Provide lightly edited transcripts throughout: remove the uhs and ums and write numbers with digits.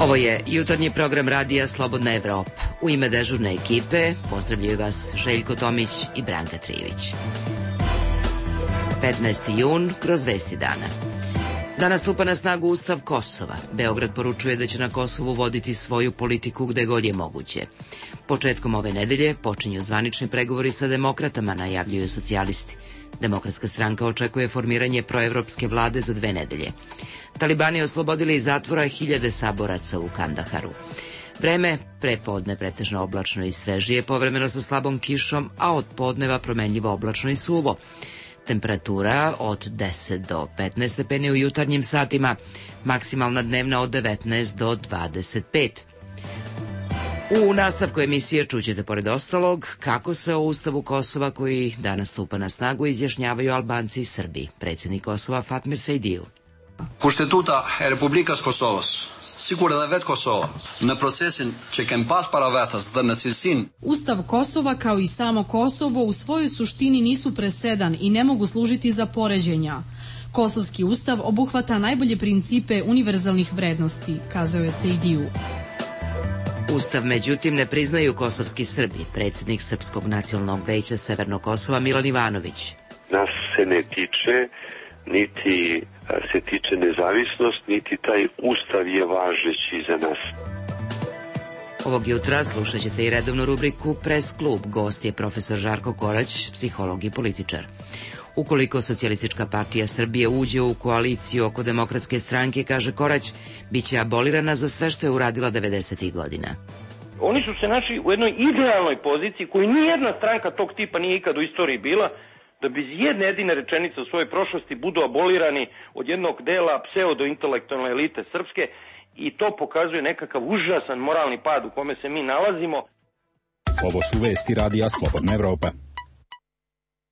Ovo je jutarnji program radija Slobodna Evropa. U ime dežurne ekipe pozdravljaju vas Željko Tomić i Branka Trijević. 15. jun kroz vesti dana. Danas stupa na snagu Ustav Kosova. Beograd poručuje da će na Kosovu voditi svoju politiku gde god je moguće. Početkom ove nedelje počinju zvanični pregovori sa demokratama, najavljuju socijalisti. Demokratska stranka očekuje formiranje proevropske vlade za 2 nedelje. Talibani oslobodili iz zatvora 1000 saboraca u Kandaharu. Vreme prepodne pretežno oblačno i svežije, povremeno sa slabom kišom, a od podneva promenljivo oblačno i suvo. Temperatura od 10 do 15 stepeni u jutarnjim satima, maksimalna dnevna od 19 do 25. U nastavku emisije čućete pored ostalog kako se o Ustavu Kosova koji danas stupa na snagu izjašnjavaju Albanci i Srbi. Predsjednik Kosova Fatmir Sejdiu. Kushtetuta e Republikës Kosovës, sikur edhe vetë Kosova, në procesin që kem pas para vetës dhe në cilësinë. Ustav Kosova kao i samo Kosovo u svojoj suštini nisu presedan i ne mogu služiti za poređenja. Kosovski ustav obuhvata najbolje principe univerzalnih vrednosti, kazao je Sejdiu. Ustav, međutim, ne priznaju kosovski Srbi. Predsjednik Srpskog nacionalnog veća Severnog Kosova Milan Ivanović. Nas se ne tiče, niti se tiče nezavisnost, niti taj ustav je važeći za nas. Ovog jutra slušat ćete i redovnu rubriku Pres klub. Gost je profesor Žarko Korać, psiholog i političar. Ukoliko Socijalistička partija Srbije uđe u koaliciju oko Demokratske stranke, kaže Korać, bit će abolirana za sve što je uradila 90. godina. Oni su se našli u jednoj idealnoj poziciji koju nijedna stranka tog tipa nije ikad u istoriji bila, da bez jedne jedine rečenice u svojoj prošlosti budu abolirani od jednog dela pseudo-intelektualne elite srpske i to pokazuje nekakav užasan moralni pad u kome se mi nalazimo. Ovo su vesti radija Slobodna Evropa.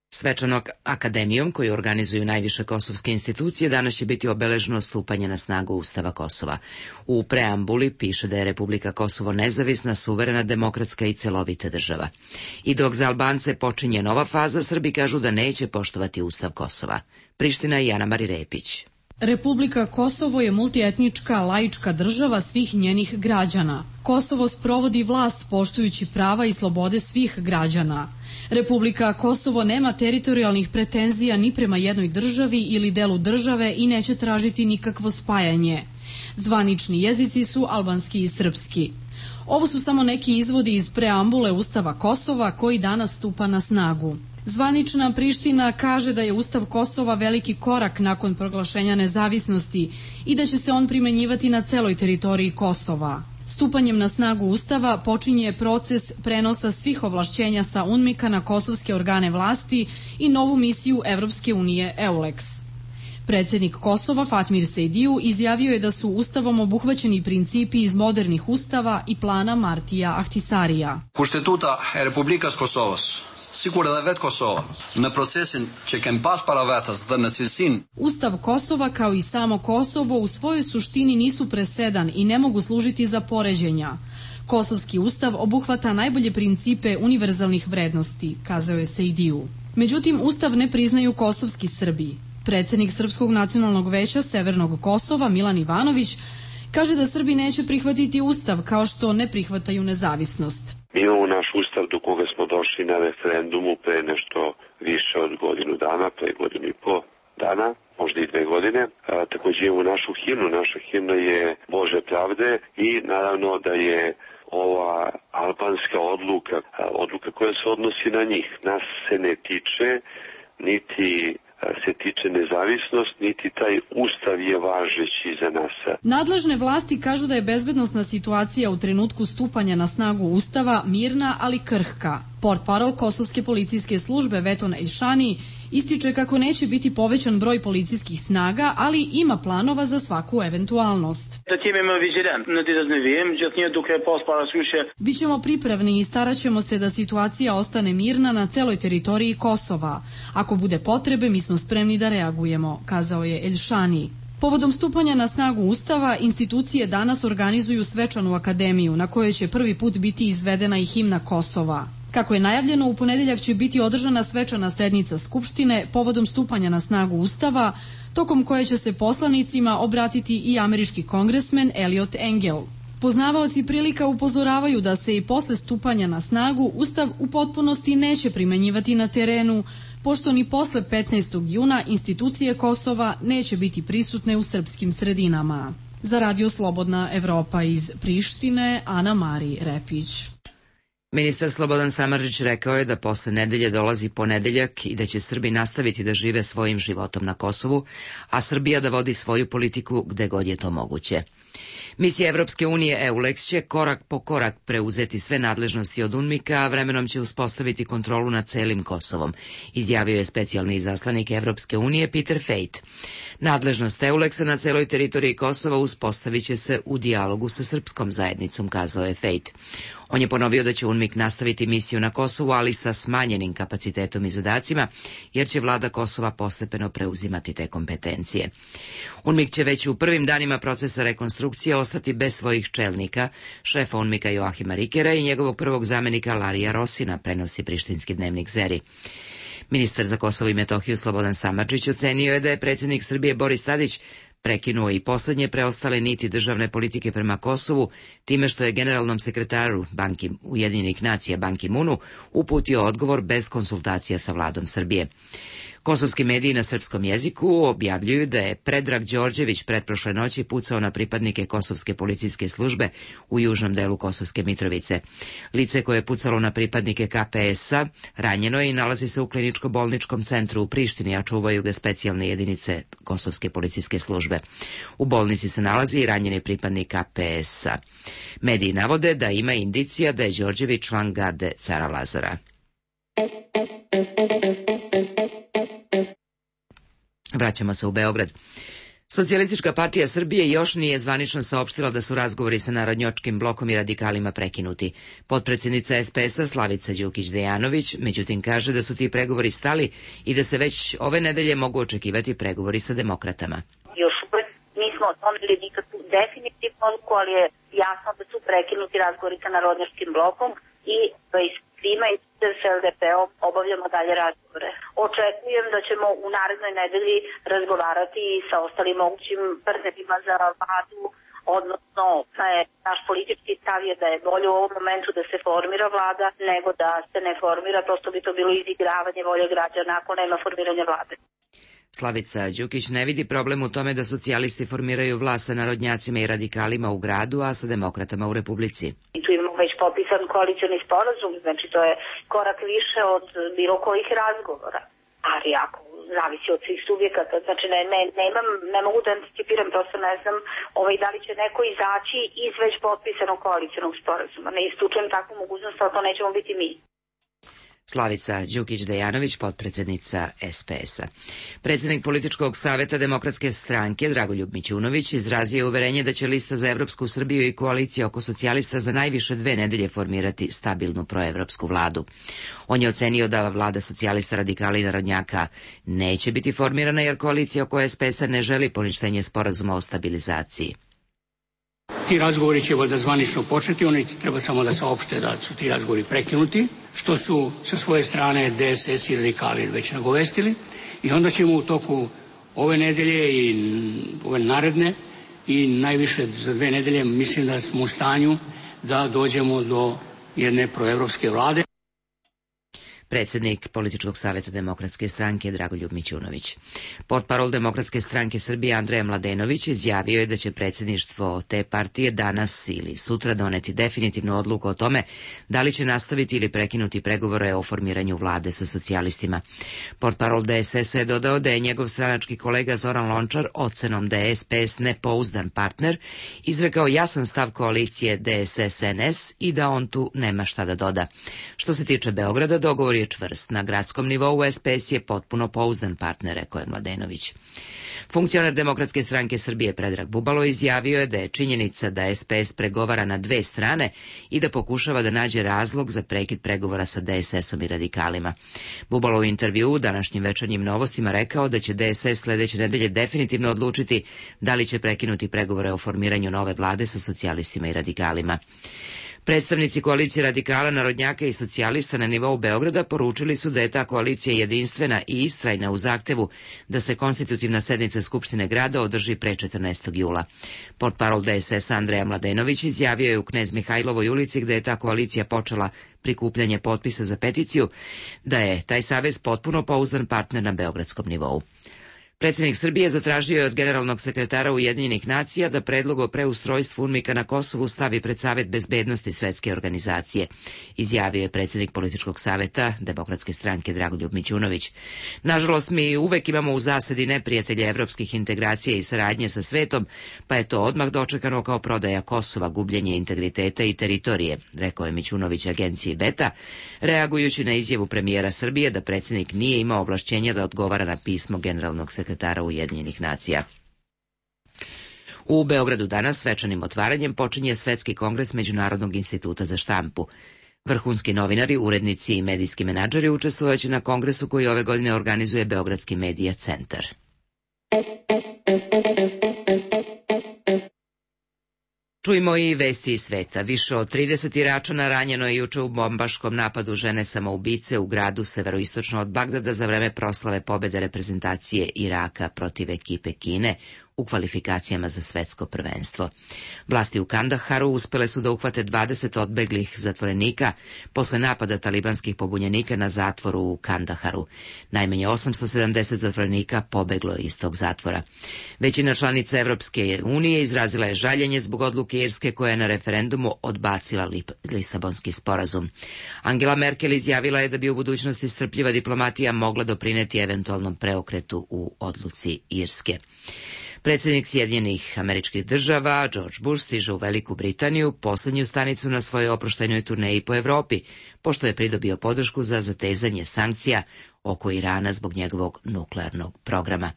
Svečanog akademijom koju organizuju najviše kosovske institucije danas će biti obeleženo stupanje na snagu Ustava Kosova. U preambuli piše da je Republika Kosovo nezavisna, suverena, demokratska i celovita država. I dok za Albance počinje nova faza, Srbi kažu da neće poštovati Ustav Kosova. Priština i Ana Mari Repić. Republika Kosovo je multietnička, laička država svih njenih građana. Kosovo sprovodi vlast poštujući prava i slobode svih građana. Republika Kosovo nema teritorijalnih pretenzija ni prema jednoj državi ili delu države i neće tražiti nikakvo spajanje. Zvanični jezici su albanski i srpski. Ovo su samo neki izvodi iz preambule Ustava Kosova koji danas stupa na snagu. Zvanična Priština kaže da je Ustav Kosova veliki korak nakon proglašenja nezavisnosti i da će se on primenjivati na celoj teritoriji Kosova. Stupanjem na snagu Ustava počinje proces prenosa svih ovlašćenja sa UNMIK-a na kosovske organe vlasti i novu misiju Evropske unije EULEX. Predsjednik Kosova Fatmir Sejdiu izjavio je da su Ustavom obuhvaćeni principi iz modernih ustava i plana Martija Ahtisarija. Kushtetuta e Republikës Kosovës, sikur edhe vetë Kosova, në procesin që kem pas para vetës dhe në cilësinë. Ustav Kosova kao i samo Kosovo u svojoj suštini nisu presedan i ne mogu služiti za poređenja. Kosovski ustav obuhvata najbolje principe univerzalnih vrednosti, kazao je Sejdiu. Međutim, ustav ne priznaju kosovski Srbi. Predsjednik Srpskog nacionalnog veća Severnog Kosova Milan Ivanović kaže da Srbi neće prihvatiti ustav kao što ne prihvataju nezavisnost. Mi imamo naš ustav do koga smo došli na referendumu pre nešto više od godinu dana, pre godinu i po dana, možda i 2 godine. Također imamo našu himnu. Naša himna je Bože pravde i naravno da je ova albanska odluka koja se odnosi na njih. Nas se ne tiče, niti se tiče nezavisnost, niti taj ustav je važeći za nas. Nadležne vlasti kažu da je bezbednosna situacija u trenutku stupanja na snagu Ustava mirna, ali krhka. Portparol Kosovske policijske službe Veton Ejšani ističe kako neće biti povećan broj policijskih snaga, ali ima planova za svaku eventualnost. Bićemo pripravni i starat ćemo se da situacija ostane mirna na celoj teritoriji Kosova. Ako bude potrebe, mi smo spremni da reagujemo, kazao je Ejšani. Povodom stupanja na snagu Ustava, institucije danas organizuju svečanu akademiju na kojoj će prvi put biti izvedena i himna Kosova. Kako je najavljeno, u ponedeljak će biti održana svečana sednica Skupštine povodom stupanja na snagu Ustava, tokom koje će se poslanicima obratiti i američki kongresmen Eliot Engel. Poznavaoci prilika upozoravaju da se i posle stupanja na snagu Ustav u potpunosti neće primenjivati na terenu, pošto ni posle 15. juna institucije Kosova neće biti prisutne u srpskim sredinama. Za Radio Slobodna Evropa iz Prištine, Ana Mari Repić. Ministar Slobodan Samardžić rekao je da posle nedelje dolazi ponedeljak i da će Srbi nastaviti da žive svojim životom na Kosovu, a Srbija da vodi svoju politiku gde god je to moguće. Misija Evropske unije EULEX će korak po korak preuzeti sve nadležnosti od UNMIK-a, a vremenom će uspostaviti kontrolu nad celim Kosovom, izjavio je specijalni izaslanik Evropske unije Peter Fejt. Nadležnost EULEX-a na celoj teritoriji Kosova uspostavit će se u dijalogu sa srpskom zajednicom, kazao je Fejt. On je ponovio da će UNMIK nastaviti misiju na Kosovu, ali sa smanjenim kapacitetom i zadacima, jer će vlada Kosova postepeno preuzimati te kompetencije. UNMIK će već u prvim danima procesa rekonstrukcije ostati bez svojih čelnika, šefa UNMIK-a Joahima Rikera i njegovog prvog zamenika Larija Rosina, prenosi prištinski dnevnik Zeri. Ministar za Kosovo i Metohiju Slobodan Samardžić ocenio je da je predsjednik Srbije Boris Tadić prekinuo i poslednje preostale niti državne politike prema Kosovu time što je generalnom sekretaru Ujedinjenih nacija Ban Ki-moonu uputio odgovor bez konsultacija sa vladom Srbije. Kosovski mediji na srpskom jeziku objavljuju da je Predrag Đorđević pretprošle noći pucao na pripadnike Kosovske policijske službe u južnom delu Kosovske Mitrovice. Lice koje je pucalo na pripadnike KPS-a ranjeno je i nalazi se u kliničko-bolničkom centru u Prištini, a čuvaju ga specijalne jedinice Kosovske policijske službe. U bolnici se nalazi i ranjeni pripadnik KPS-a. Mediji navode da ima indicija da je Đorđević član garde cara Lazara. Vraćamo se u Beograd. Socijalistička partija Srbije još nije zvanično saopštila da su razgovori sa Narodnjačkim blokom i radikalima prekinuti. Potpredsjednica SPS-a Slavica Đukić-Dejanović međutim kaže da su ti pregovori stali i da se već ove nedelje mogu očekivati pregovori sa demokratama. Još uvek nismo doneli nikakvu definitivnu odluku, ali je jasno da su prekinuti razgovori sa Narodnjačkim blokom i svima i s LDP-om obavljamo dalje razgovore. Očekujem da ćemo u narednoj nedelji razgovarati i sa ostalim mogućim partnerima za vladu, odnosno naš politički stav je da je bolje u ovom momentu da se formira vlada nego da se ne formira, prosto bi to bilo izigravanje volje građana ako nema formiranja vlade. Slavica Đukić ne vidi problem u tome da socijalisti formiraju vlast sa narodnjacima i radikalima u gradu, a sa demokratama u Republici. Tu imamo već potpisan koalicioni sporazum, znači to je korak više od bilo kojih razgovora. Ali ako zavisi od svih subjekata, znači ne mogu da anticipiram, prosto ne znam da li će neko izaći iz već potpisanog koalicionog sporazuma. Ne isključujem takvu mogućnost, ali to nećemo biti mi. Slavica Đukić-Dejanović, potpredsjednica SPS-a. Predsjednik političkog saveta Demokratske stranke Dragoljub Mićunović izrazio je uverenje da će lista za Evropsku Srbiju i koalicija oko socijalista za najviše 2 nedelje formirati stabilnu proevropsku vladu. On je ocenio da vlada socijalista, radikala i narodnjaka neće biti formirana jer koalicija oko SPS-a ne želi poništenje sporazuma o stabilizaciji. Ti razgovori će valjda zvanično početi, oni treba samo da saopšte da su ti razgovori prekinuti, što su sa svoje strane DSS i radikali već nagovestili i onda ćemo u toku ove nedelje i ove naredne i najviše za 2 nedelje mislim da smo u stanju da dođemo do jedne proevropske vlade. Predsjednik Političkog saveta Demokratske stranke Dragoljub Mićunović. Portparol Demokratske stranke Srbije Andreja Mladenović izjavio je da će predsjedništvo te partije danas ili sutra doneti definitivnu odluku o tome da li će nastaviti ili prekinuti pregovore o formiranju vlade sa socijalistima. Portparol DSS-a je dodao da je njegov stranački kolega Zoran Lončar ocenom da je SPS nepouzdan partner izrekao jasan stav koalicije DSS-NS i da on tu nema šta da doda. Što se tiče Beograda, dogovor je čvrst. Na gradskom nivou SPS je potpuno pouzdan partner, rekao je Mladenović. Funkcioner Demokratske stranke Srbije Predrag Bubalo izjavio je da je činjenica da SPS pregovara na 2 strane i da pokušava da nađe razlog za prekid pregovora sa DSS-om i radikalima. Bubalo u intervjuu u današnjim večernjim novostima rekao da će DSS sledeće nedelje definitivno odlučiti da li će prekinuti pregovore o formiranju nove vlade sa socijalistima i radikalima. Predstavnici koalicije radikala, narodnjaka i socijalista na nivou Beograda poručili su da je ta koalicija jedinstvena i istrajna u zahtevu da se konstitutivna sednica Skupštine grada održi pre 14. jula. Portparol DSS Andreja Mladenović izjavio je u Knez Mihajlovoj ulici, gde je ta koalicija počela prikupljanje potpisa za peticiju, da je taj savez potpuno pouzdan partner na beogradskom nivou. Predsjednik Srbije zatražio je od generalnog sekretara Ujedinjenih nacija da predlog o preustrojstvu UNMIK-a na Kosovu stavi pred Savet bezbednosti Svetske organizacije, izjavio je predsjednik političkog saveta Demokratske stranke Dragoljub Mićunović. Nažalost, mi uvek imamo u zasedi neprijatelje evropskih integracija i saradnje sa svetom, pa je to odmah dočekano kao prodaja Kosova, gubljenje integriteta i teritorije, rekao je Mićunović agenciji Beta, reagujući na izjavu premijera Srbije da predsjednik nije imao ovlašćenja da odgovara na pismo generalnog sekretara Ujedinjenih nacija. U Beogradu danas svečanim otvaranjem počinje Svetski kongres Međunarodnog instituta za štampu. Vrhunski novinari, urednici i medijski menadžeri učestvovaće na kongresu koji ove godine organizuje Beogradski medija centar. Čujmo i vesti iz sveta. Više od 30 Iračana ranjeno je juče u bombaškom napadu žene samoubice u gradu severoistočno od Bagdada za vreme proslave pobede reprezentacije Iraka protiv ekipe Kine u kvalifikacijama za svetsko prvenstvo. Vlasti u Kandaharu uspele su da uhvate 20 odbeglih zatvorenika posle napada talibanskih pobunjenika na zatvoru u Kandaharu. Najmanje 870 zatvorenika pobeglo je iz tog zatvora. Većina članica Evropske unije izrazila je žaljenje zbog odluke Irske koja je na referendumu odbacila Lisabonski sporazum. Angela Merkel izjavila je da bi u budućnosti strpljiva diplomatija mogla doprineti eventualnom preokretu u odluci Irske. Predsjednik Sjedinjenih Američkih Država, George Bush, stiže u Veliku Britaniju, poslednju stanicu na svojoj oproštajnoj turneji po Evropi, pošto je pridobio podršku za zatezanje sankcija oko Irana zbog njegovog nuklearnog programa.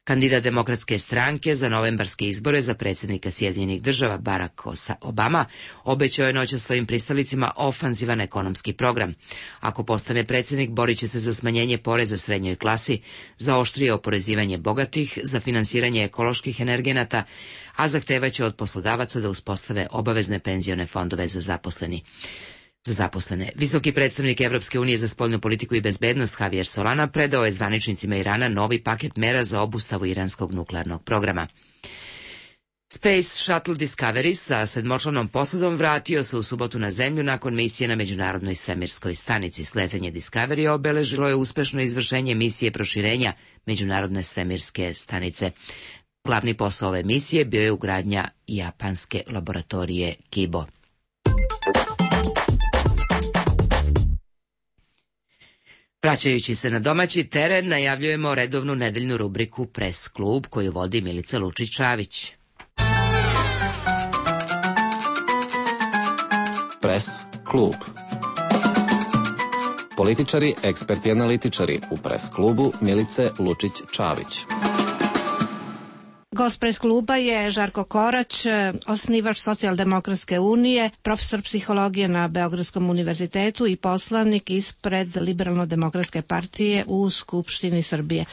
Kandidat Demokratske stranke za novembarske izbore za predsjednika Sjedinjenih Država Barack Obama obećao je noćas svojim pristalicima ofanzivan ekonomski program. Ako postane predsjednik, borit će se za smanjenje poreza srednjoj klasi, za oštrije oporezivanje bogatih, za finansiranje ekoloških energenata, a zahtevaće od poslodavaca da uspostave obavezne penzione fondove za zaposlene. Visoki predstavnik Evropske unije za spoljnu politiku i bezbednost Javier Solana predao je zvaničnicima Irana novi paket mera za obustavu iranskog nuklearnog programa. Space Shuttle Discovery sa 7-članom posadom vratio se u subotu na Zemlju nakon misije na Međunarodnoj svemirskoj stanici. Sletanje Discovery obeležilo je uspešno izvršenje misije proširenja Međunarodne svemirske stanice. Glavni posao ove misije bio je ugradnja japanske laboratorije Kibo. Vraćajući se na domaći teren, najavljujemo redovnu nedeljnu rubriku Pres klub koju vodi Milica Lučić-Čavić. Pres klub. Političari, eksperti, analitičari u Pres klubu Milice Lučić-Čavić. Gost Pres kluba je Žarko Korać, osnivač Socijaldemokratske unije, profesor psihologije na Beogradskom univerzitetu i poslanik ispred Liberalno-demokratske partije u Skupštini Srbije.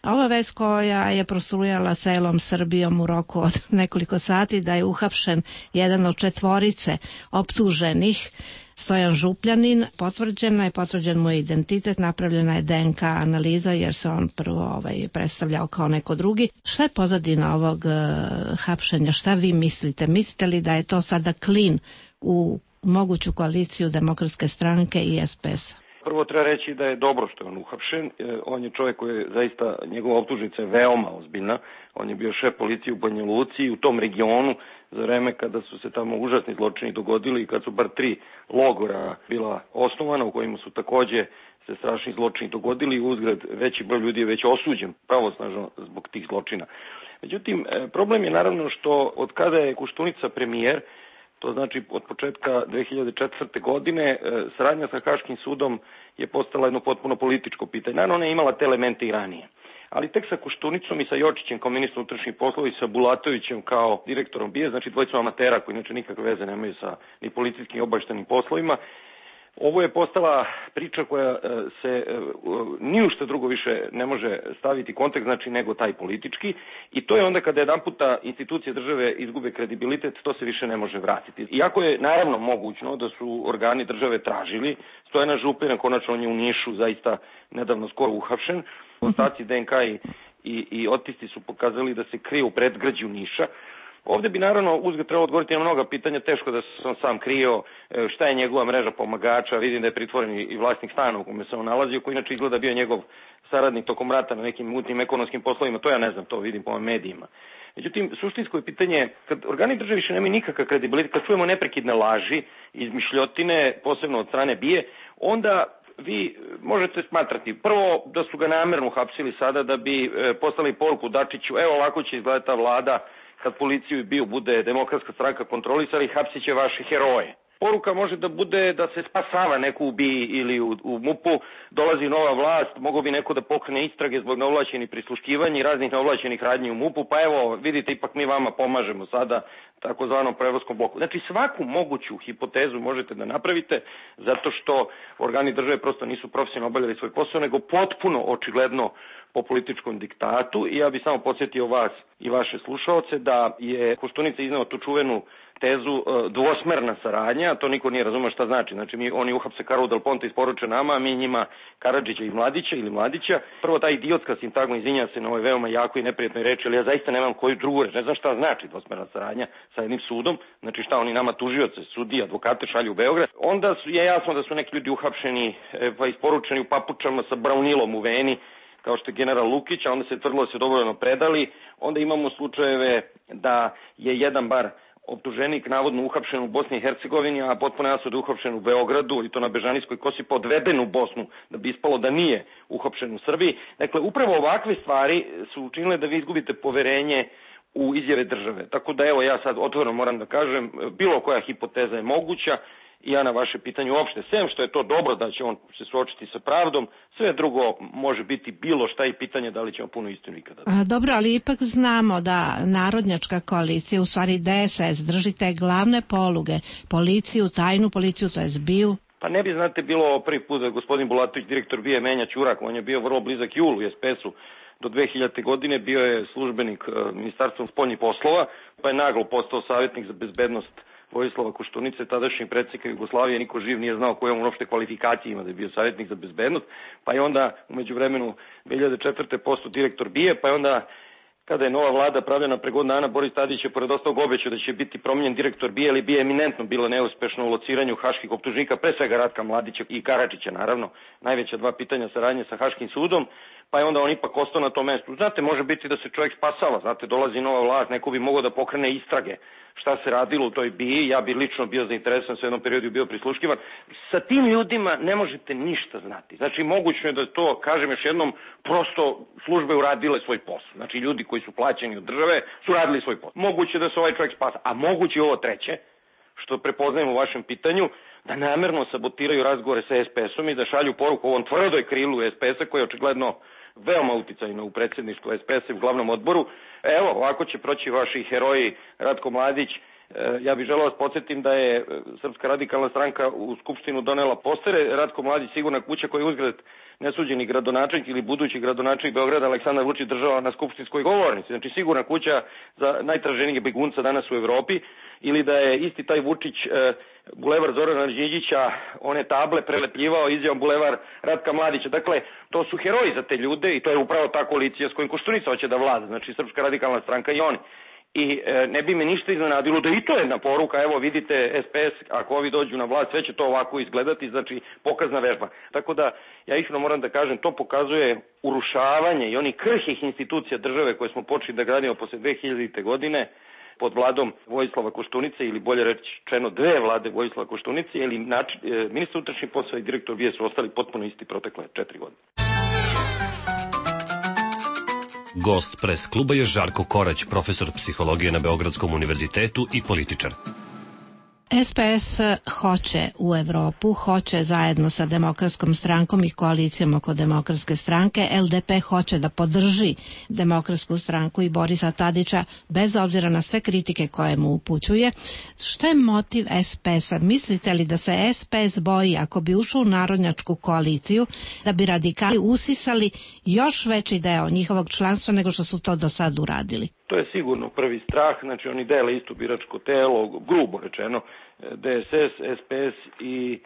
Ova vest koja je prostrujala celom Srbijom u roku od nekoliko sati da je uhapšen jedan od 4 optuženih, Stojan Župljanin, potvrđen mu je identitet, napravljena je DNK analiza jer se on prvo predstavljao kao neko drugi. Šta je pozadina ovog hapšenja? Šta vi mislite? Mislite li da je to sada klin u moguću koaliciju Demokratske stranke i SPS-a? Prvo treba reći da je dobro što je on uhapšen. On je čovjek koji je zaista, njegova optužnica je veoma ozbiljna. On je bio šef policije u Banja Luci i u tom regionu za vreme kada su se tamo užasni zločini dogodili i kad su bar 3 logora bila osnovana u kojima su takođe se strašni zločini dogodili. Uzgled veći broj ljudi je već osuđen pravosnažno zbog tih zločina. Međutim, problem je naravno što od kada je Koštunica premijer, to znači od početka 2004. godine, saradnja sa Haškim sudom je postala jedno potpuno političko pitanje. Naravno, ona je imala te elemente i ranije. Ali tek sa Koštunicom i sa Jočićem kao ministrom unutrašnjih poslova i sa Bulatovićem kao direktorom BIA, znači dvojicom amatera koji inače nikakve veze nemaju sa ni policijskim obaveštajnim poslovima, Ovo je postala priča koja se ni u što drugo više ne može staviti kontekst, znači nego taj politički, i to je onda kada jedan puta institucije države izgube kredibilitet, to se više ne može vratiti. Iako je naravno mogućno da su organi države tražili, Stojana Župina, konačno on je u Nišu zaista nedavno skoro uhapšen, ostaci DNK i otisci su pokazali da se krije u predgrađu Niša. Ovde bi naravno uzgled trebalo odgovoriti na mnoga pitanja, teško da sam sam krio šta je njegova mreža pomagača, vidim da je pritvoren i vlasnik stana u kome se on nalazio, koji inače izgleda bio njegov saradnik tokom rata na nekim mutnim ekonomskim poslovima, to ja ne znam, to vidim po medijima. Međutim, suštinsko je pitanje, kad organi države više nemaju nikakav kredibilitet, kad čujemo neprekidne laži, izmišljotine, posebno od strane BIA, onda vi možete smatrati prvo da su ga namerno uhapsili sada da bi poslali poruku Dačiću, evo ovako će izgledati ta vlada, kad policiju i BIA bude Demokratska stranka kontrolisali, hapsit će vaše heroje. Poruka može da bude da se spasava neko u BIA ili u MUP-u, dolazi nova vlast, mogo bi neko da pokrene istrage zbog neovlašćenih prisluškivanja i raznih neovlašćenih radnji u MUP-u, pa evo, vidite, ipak mi vama pomažemo sada takozvanom prevozkom bloku. Znači, svaku moguću hipotezu možete da napravite, zato što organi države prosto nisu profesionalno obavljali svoj posao, nego potpuno očigledno po političkom diktatu. I ja bih samo podsjetio vas i vaše slušaoce da je Koštunica izneo tu čuvenu tezu dvosmerna saradnja, to niko nije razumeo šta znači. Znači, oni uhapse Karlu Del Ponte isporuče nama, a mi njima Karadžića i Mladića ili Mladića. Prvo, ta idiotska sintagma, izvinjam se na ovoj veoma jako i neprijatnoj reči, ali ja zaista nemam koju drugu reč. Ne znam šta znači dvosmerna saradnja sa jednim sudom, znači šta oni nama tužioce, sudije, advokate šalju u Beograd. Onda je jasno da su neki ljudi uhapšeni pa isporučeni u papučama sa braunilom u veni, kao što je general Lukić, a onda se tvrdilo da se dobrovoljno predali. Onda imamo slučajeve da je jedan bar optuženik navodno uhapšen u Bosni i Hercegovini, a potpuno jasno da je uhapšen u Beogradu i to na Bežanijskoj kosi, pa odveden u Bosnu da bi ispalo da nije uhapšen u Srbiji. Dakle, upravo ovakve stvari su učinile da vi izgubite poverenje u izjave države. Tako da evo ja sad otvoreno moram da kažem, bilo koja hipoteza je moguća. I ja na vaše pitanje uopšte, sem što je to dobro da će on se suočiti sa pravdom, sve drugo može biti bilo šta i pitanje da li ćemo puno istinu ikada. Dobro, ali ipak znamo da narodnjačka koalicija, u stvari DSS, drži te glavne poluge, policiju, tajnu policiju, to je BIA. Pa ne bi, znate, bilo prvi put da gospodin Bulatović, direktor BIA, menja ćurak, on je bio vrlo blizak Julu i SPS-u. Do 2000. godine bio je službenik Ministarstva spoljnih poslova, pa je naglo postao savjetnik za bezbednost Vojislava Koštunice, tadašnjeg predsjednika Jugoslavije. Niko živ nije znao koje on uopšte kvalifikacije ima da je bio savjetnik za bezbednost, pa je onda umeđu vremenu 2004. postao direktor BIA, pa je onda kada je nova vlada pravljena pre godinu dana, Boris Tadić je pored ostalog obećao da će biti promenjen direktor BIA, ali BIA je eminentno bila neuspešna u lociranju haških optužnika, pre svega Ratka Mladića i Karadžića, naravno, najveća dva pitanja saradnje sa Haškim sudom, pa je onda on ipak ostao na tom mestu. Znate, može biti da se čovjek spasava, znate, dolazi nova vlast, neko bi mogao da pokrene istrage šta se radilo u toj BIA, ja bi lično bio zainteresovan, u jednom periodu bio prisluškivan. Sa tim ljudima ne možete ništa znati. Znači, moguće je da to, kažem još jednom, prosto službe uradile svoj posao. Znači, ljudi koji su plaćeni od države su radili svoj posao. Moguće da se ovaj čovjek spasa, a moguće ovo treće, što prepoznajem u vašem pitanju, da namerno sabotiraju razgovore sa SPS-om i da šalju poruku ovom tvrdoj krilu SPS-a koja je očigledno veoma uticajno u predsjedništvu SPS-a i u glavnom odboru. Evo, ovako će proći vaši heroji Ratko Mladić. Ja bih želeo vas podsjetim da je Srpska radikalna stranka u Skupštinu donela postere. Ratko Mladić, sigurna kuća, koji je uzgled nesuđeni gradonačelnik ili budući gradonačelnik Beograda Aleksandar Vučić država na skupštinskoj govornici. Znači, sigurna kuća za najtraženijeg begunca danas u Evropi. Ili da je isti taj Vučić bulevar Zorana Đinđića, one table prelepljivao izjavom bulevar Ratka Mladića. Dakle, to su heroji za te ljude i to je upravo ta koalicija s kojim Koštunica hoće da vlada. Znači, Srpska radikalna stranka i oni. I ne bi me ništa iznenadilo da i to je jedna poruka, evo vidite SPS, ako ovi dođu na vlast, sve će to ovako izgledati, znači pokazna vežba. Tako da, ja iskreno moram da kažem, to pokazuje urušavanje i onih krhih institucija države koje smo počeli da gradimo posle 2000. godine pod vladom Vojislava Koštunice, ili bolje rečeno dve vlade Vojislava Koštunice, ili ministar unutrašnjih poslova i direktor BIA su ostali potpuno isti protekle 4 godine. Gost pres kluba je Žarko Korać, profesor psihologije na Beogradskom univerzitetu i političar. SPS hoće u Evropu, hoće zajedno sa Demokratskom strankom i koalicijom oko Demokratske stranke. LDP hoće da podrži Demokratsku stranku i Borisa Tadića bez obzira na sve kritike koje mu upućuje. Šta je motiv SPS-a? Mislite li da se SPS boji ako bi ušao u narodnjačku koaliciju da bi radikali usisali još veći deo njihovog članstva nego što su to do sad uradili? To je sigurno prvi strah, znači oni dele isto biračko telo, grubo rečeno, DSS, SPS i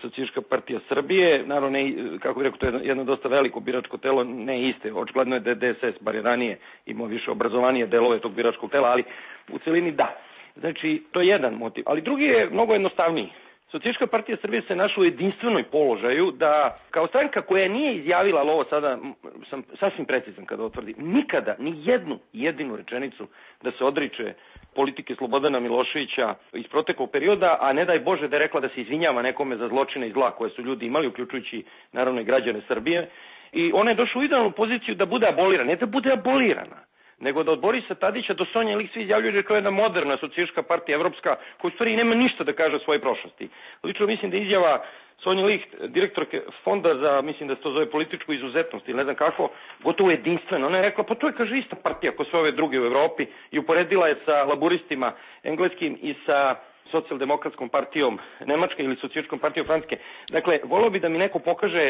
Socijalistička partija Srbije. Naravno, ne, kako bih rekao, to je jedno dosta veliko biračko telo, ne iste, očigledno je da je DSS, bar je ranije imao više obrazovanije delove tog biračkog tela, ali u celini da. Znači, to je jedan motiv, ali drugi je mnogo jednostavniji. Socijalistička partija Srbije se našla u jedinstvenoj položaju da, kao stranka koja nije izjavila, ali ovo sada sam sasvim precizan kada otvrdim, nikada, ni jednu jedinu rečenicu da se odriče politike Slobodana Miloševića iz proteklog perioda, a ne daj Bože da je rekla da se izvinjava nekome za zločine i zla koje su ljudi imali, uključujući naravno i građane Srbije. I ona je došla u idealnu poziciju da bude abolirana, ne da bude abolirana, nego da od Borisa Tadića do Sonje Lik svi izjavljuju da je to jedna moderna socijalistička partija evropska koja u stvari nema ništa da kaže o svojoj prošlosti. Lično mislim da izjava Sonje Lik, direktorke fonda za, mislim da se to zove političku izuzetnost ili ne znam kako, gotovo jedinstveno. Ona je rekla, pa to je, kaže, ista partija kao sve ove druge u Evropi i uporedila je sa laburistima engleskim i sa socijaldemokratskom partijom Nemačke ili socijalističkom partijom Francuske. Dakle, volio bi da mi neko pokaže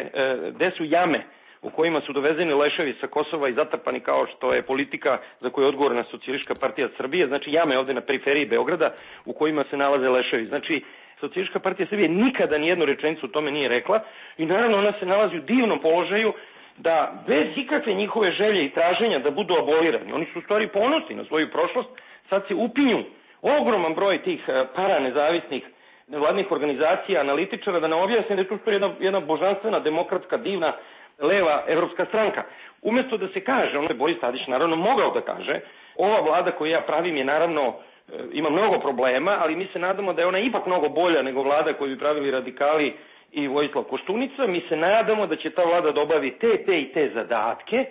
gde su jame u kojima su dovezeni leševi sa Kosova i zatrpani kao što je politika za koju je odgovorna Socijalistička partija Srbije, znači jame ovde na periferiji Beograda u kojima se nalaze leševi. Znači, Socijalistička partija Srbije nikada nijednu rečenicu o tome nije rekla i naravno ona se nalazi u divnom položaju da bez ikakve njihove želje i traženja da budu abolirani, oni su u stvari ponosni na svoju prošlost, sad se upinju ogroman broj tih paranezavisnih nevladnih organizacija, analitičara, da nam objasne da je to jedna božanstvena, demokratska, divna, leva evropska stranka. Umesto da se kaže, ono je Boris Tadić naravno mogao da kaže, ova vlada koju ja pravim je naravno, ima mnogo problema, ali mi se nadamo da je ona ipak mnogo bolja nego vlada koju bi pravili radikali i Vojislav Koštunica. Mi se nadamo da će ta vlada da obavi te i te zadatke.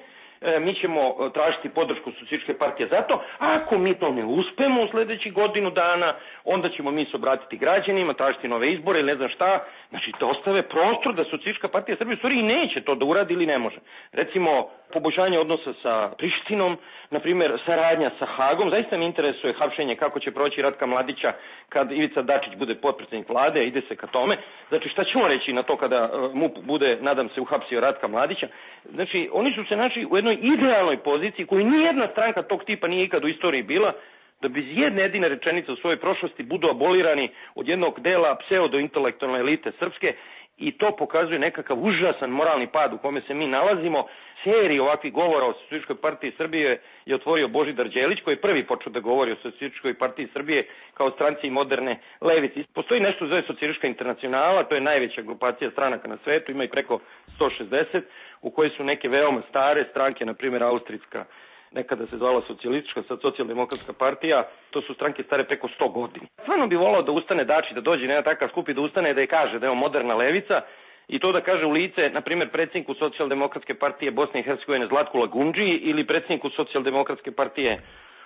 Mi ćemo tražiti podršku Socijalističke partije za to. Ako mi to ne uspemo u sledećih godinu dana, onda ćemo mi se obratiti građanima, tražiti nove izbore ili ne znam šta. Znači, da ostave prostor da Socijalistička partija Srbije u stvari i neće to da uradi ili ne može. Recimo, poboljšanje odnosa sa Prištinom, na primjer, saradnja sa Hagom. Zaista mi interesuje hapšenje kako će proći Ratka Mladića kad Ivica Dačić bude potpredsednik vlade, ide se ka tome. Znači, šta ćemo reći na to kada MUP bude, nadam se, uhapsio Ratka Mladića? Znači, oni su se našli u jednoj idealnoj poziciji koju nijedna stranka tog tipa nije ikad u istoriji bila, da bez jedne jedine rečenice u svojoj prošlosti budu abolirani od jednog dela pseudo-intelektualne elite srpske i to pokazuje nekakav užasan moralni pad u kome se mi nalazimo. Seriju ovakvih govora o Socijalističkoj partiji Srbije je otvorio Božidar Đelić, koji je prvi počeo da govori o Socijalističkoj partiji Srbije kao stranci moderne levice. Postoji nešto zove Socijalistička internacionala, to je najveća grupacija stranaka na svetu, ima i preko 160, u kojoj su neke veoma stare stranke, na primjer Austrijska, nekada se zvala socijalistička, sad socijaldemokratska partija, to su stranke stare preko 100 godina. Stvarno bi volao da ustane Dačić, da dođe na takav skup i da ustane da je kaže da je on moderna levica i to da kaže u lice, na primjer, predsjedniku socijaldemokratske partije Bosne i Hercegovine Zlatku Lagundži ili predsjedniku socijaldemokratske partije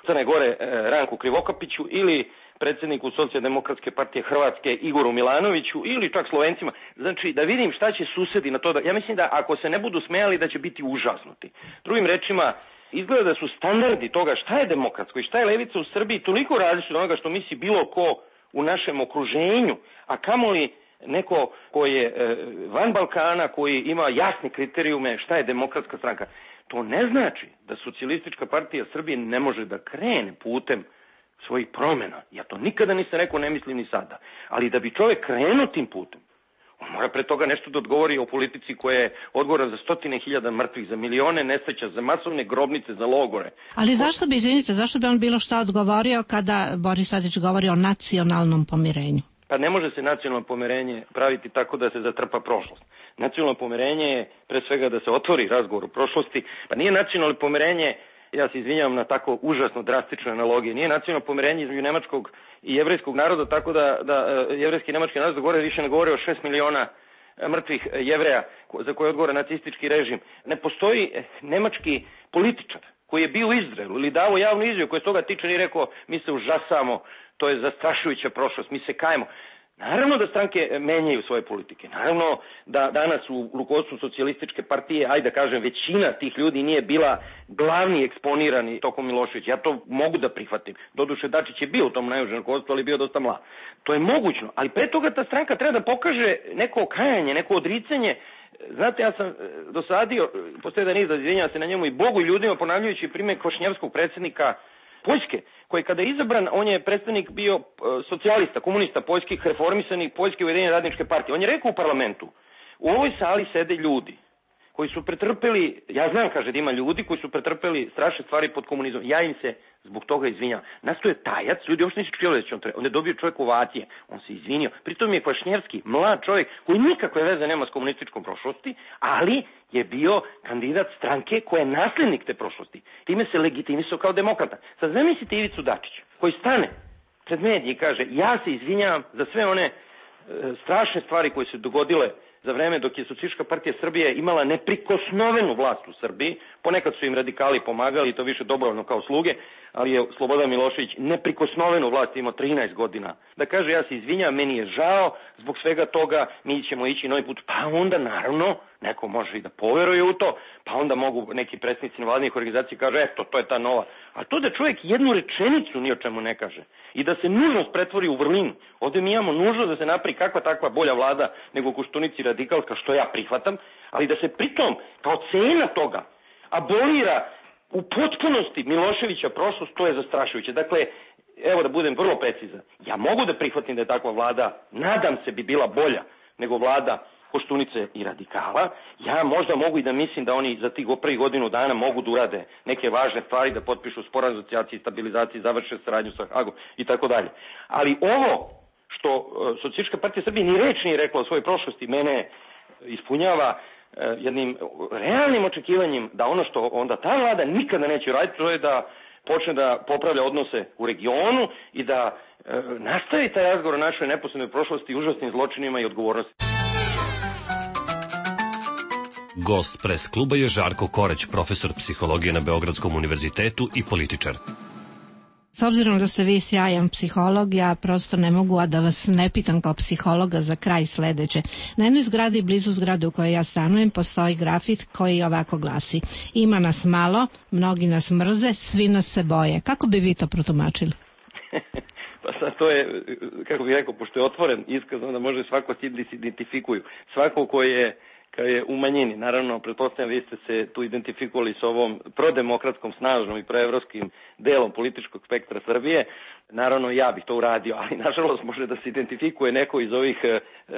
Crne Gore Ranku Krivokapiću ili predsjedniku socijaldemokratske partije Hrvatske Igoru Milanoviću ili čak Slovencima. Znači, da vidim šta će susedi na to. Ja mislim da ako se ne budu smejali da će biti užasnuti. Drugim rečima, izgleda da su standardi toga šta je demokratsko i šta je levica u Srbiji toliko različiti od onoga što misli bilo ko u našem okruženju, a kamoli neko ko je van Balkana, koji ima jasne kriterijume šta je demokratska stranka. To ne znači da Socijalistička partija Srbije ne može da krene putem svojih promjena. Ja to nikada nisam rekao, ne mislim ni sada. Ali da bi čovjek krenuo tim putem, on mora pre toga nešto da odgovori o politici koja je odgovorna za 100.000 mrtvih, za milione nesreća, za masovne grobnice, za logore. Ali zašto bi, izvinite, zašto bi on bilo šta odgovorio kada Boris Tadić govori o nacionalnom pomirenju? Pa ne može se nacionalno pomirenje praviti tako da se zatrpa prošlost. Nacionalno pomirenje je pre svega da se otvori razgovor o prošlosti. Pa nije nacionalno pomirenje, ja se izvinjavam na tako užasno drastične analogije, nije nacionalno pomirenje između nemačkog i jevrejskog naroda, tako da jevrejski i nemački narod govore više ne govore o 6 miliona mrtvih Jevreja za koje odgovara nacistički režim. Ne postoji nemački političar koji je bio u Izraelu ili davo javnu izjavu koja se toga tiče i rekao mi se užasamo to je zastrašujuća prošlost, mi se kajemo. Naravno da stranke menjaju svoje politike. Naravno da danas u rukovodstvu socijalističke partije, ajde da kažem, većina tih ljudi nije bila glavni eksponirani tokom Miloševića. Ja to mogu da prihvatim. Doduše, Dačić je bio u tom najužem rukovodstvu, ali bio dosta mlad. To je mogućno, ali pre toga ta stranka treba da pokaže neko okajanje, neko odricanje. Znate, ja sam dosadio, postoje da niz da izvinjava se na njemu i Bogu i ljudima, ponavljajući primjer Kvašnjevskog predsjednika Poljske, koji kada je izabran, on je predstavnik bio socijalista, komunista poljskih, reformisanih Poljske ujedinjene radničke partije. On je rekao u parlamentu, u ovoj sali sede ljudi koji su pretrpeli, ja znam, kaže, da ima ljudi koji su pretrpeli strašne stvari pod komunizmom. Ja im se zbog toga izvinjam. Nasto je tajac, ljudi uopšte nisu čuli da će on je dobio čovjek ovacije, on se izvinio. Pritom je Kvašnjevski mlad čovjek koji nikakve veze nema s komunističkom prošlosti, ali je bio kandidat stranke koja je naslednik te prošlosti. Time se legitimisao kao demokrata. Sad zamislite Ivicu Dačića, koji stane pred medije i kaže, ja se izvinjam za sve one strašne stvari koje se dogodile za vreme dok je Socijalistička partija Srbije imala neprikosnovenu vlast u Srbiji. Ponekad su im radikali pomagali i to više dobrovoljno kao sluge, ali je Slobodan Milošević neprikosnovenu vlast imao 13 godina. Da kaže, ja se izvinjam, meni je žao zbog svega toga, mi ćemo ići novi put. Pa onda naravno neko može i da poveruje u to, pa onda mogu neki predstavnici nevladinih organizacija kaže, eto, to je ta nova. A to da čovjek jednu rečenicu ni o čemu ne kaže i da se nužnost pretvori u vrlinu. Ovdje mi imamo nužnost da se napravi kakva takva bolja vlada nego Koštunici radikalska, što ja prihvatam, ali da se pritom kao cena toga abolira u potpunosti Miloševića prošlost, to je zastrašujuće. Dakle, evo da budem vrlo precizan, ja mogu da prihvatim da je takva vlada, nadam se bi bila bolja nego vlada Koštunice i radikala. Ja možda mogu i da mislim da oni za tih prvih godinu dana mogu da urade neke važne stvari, da potpišu sporazum o asocijaciji i stabilizaciji, završe saradnju sa Hagom i tako dalje. Ali ovo što Socijalistička partija Srbije ni reč nije rekla o svojoj prošlosti, mene ispunjava jednim realnim očekivanjem da ono što onda ta vlada nikada neće raditi, to je da počne da popravlja odnose u regionu i da nastavi taj razgovor o našoj neposrednoj prošlosti, užasnim zločinima i odgovornosti. Gost Pres kluba je Žarko Korać, profesor psihologije na Beogradskom univerzitetu i političar. S obzirom da ste vi sjajan psiholog, ja prosto ne mogu, a da vas ne pitam kao psihologa za kraj sledeće. Na jednoj zgradi blizu zgrade u kojoj ja stanujem postoji grafit koji ovako glasi: ima nas malo, mnogi nas mrze, svi nas se boje. Kako bi vi to protumačili? Pa sad to je, kako bih rekao, pošto je otvoren iskaz, onda može svako da se identifikuju. Svako ko je u manjini. Naravno, pretpostavljam, vi ste se tu identifikovali s ovom prodemokratskom, snažnom i proevropskim delom političkog spektra Srbije. Naravno, ja bih to uradio, ali nažalost može da se identifikuje neko iz ovih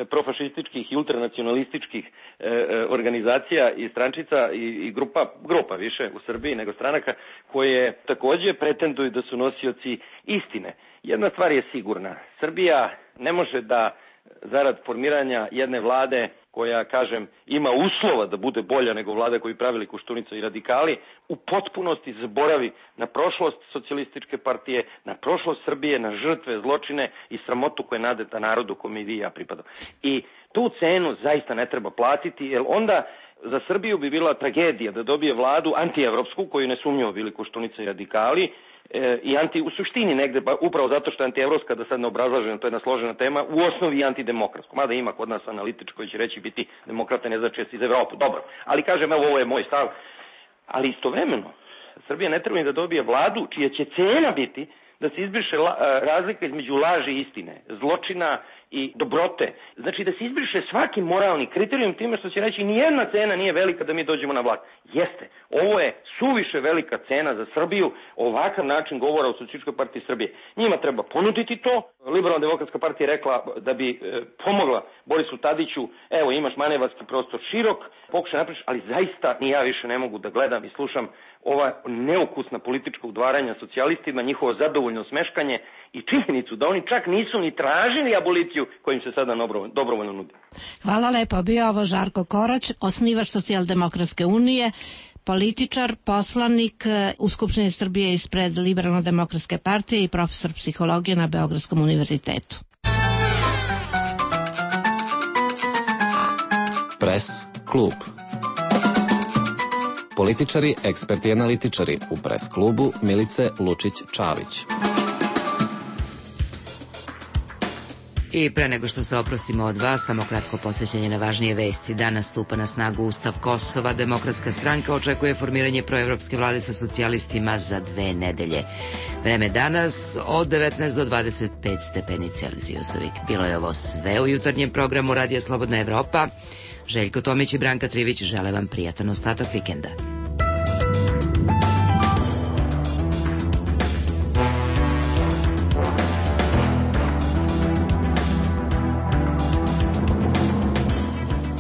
profašističkih i ultranacionalističkih organizacija i strančica i grupa više u Srbiji nego stranaka, koje takođe pretenduju da su nosioci istine. Jedna stvar je sigurna. Srbija ne može da zarad formiranja jedne vlade koja, kažem, ima uslova da bude bolja nego vlada koju pravili Koštunica i radikali, u potpunosti zaboravi na prošlost socijalističke partije, na prošlost Srbije, na žrtve, zločine i sramotu koja je nadeta narodu kome i vi i ja pripadam. I tu cenu zaista ne treba platiti, jer onda za Srbiju bi bila tragedija da dobije vladu antievropsku, koju nesumnjivo bili Koštunica i radikali, i u suštini negde, upravo zato što je antievropska, da sad ne obrazlažem, to je jedna složena tema, u osnovi antidemokratsko. Mada ima kod nas analitič koji će reći biti demokrata ne znači iz Evrope. Dobro, ali kažem, evo, ovo je moj stav. Ali istovremeno, Srbija ne treba da dobije vladu čija će cena biti da se izbriše razlika između laži i istine, zločina i dobrote. Znači da se izbriše svaki moralni kriterijum time što će reći nijedna cena nije velika da mi dođemo na vlast. Jeste, ovo je suviše velika cena za Srbiju, ovakav način govora o Socijalističkoj partiji Srbije. Njima treba ponuditi to. Liberalna demokratska partija je rekla da bi pomogla Borisu Tadiću, evo imaš manevarski prostor širok, pokušaj napriš, ali zaista ni ja više ne mogu da gledam i slušam ova neukusna politička udvaranja socijalistima, njihovo zadovoljno smeškanje i činjenicu da oni čak nisu ni tražili aboliciju kojim se sada dobrovoljno nudi. Hvala lepo. Bio ovo Žarko Korać, osnivač Socijaldemokratske unije, političar, poslanik u Skupštini Srbije ispred Liberalno-demokratske partije i profesor psihologije na Beogradskom univerzitetu. Pres klub. Političari, eksperti i analitičari u Pres klubu Milice Lučić-Čavić. I pre nego što se oprostimo od vas, samo kratko podsjećanje na važnije vesti. Danas stupa na snagu Ustav Kosova. Demokratska stranka očekuje formiranje proevropske vlade sa socijalistima za 2 nedelje. Vreme danas od 19 do 25 stepeni Celzijusovih. Bilo je ovo sve u jutarnjem programu Radija Slobodna Evropa. Željko Tomić i Branka Trivić žele vam prijatan ostatak vikenda.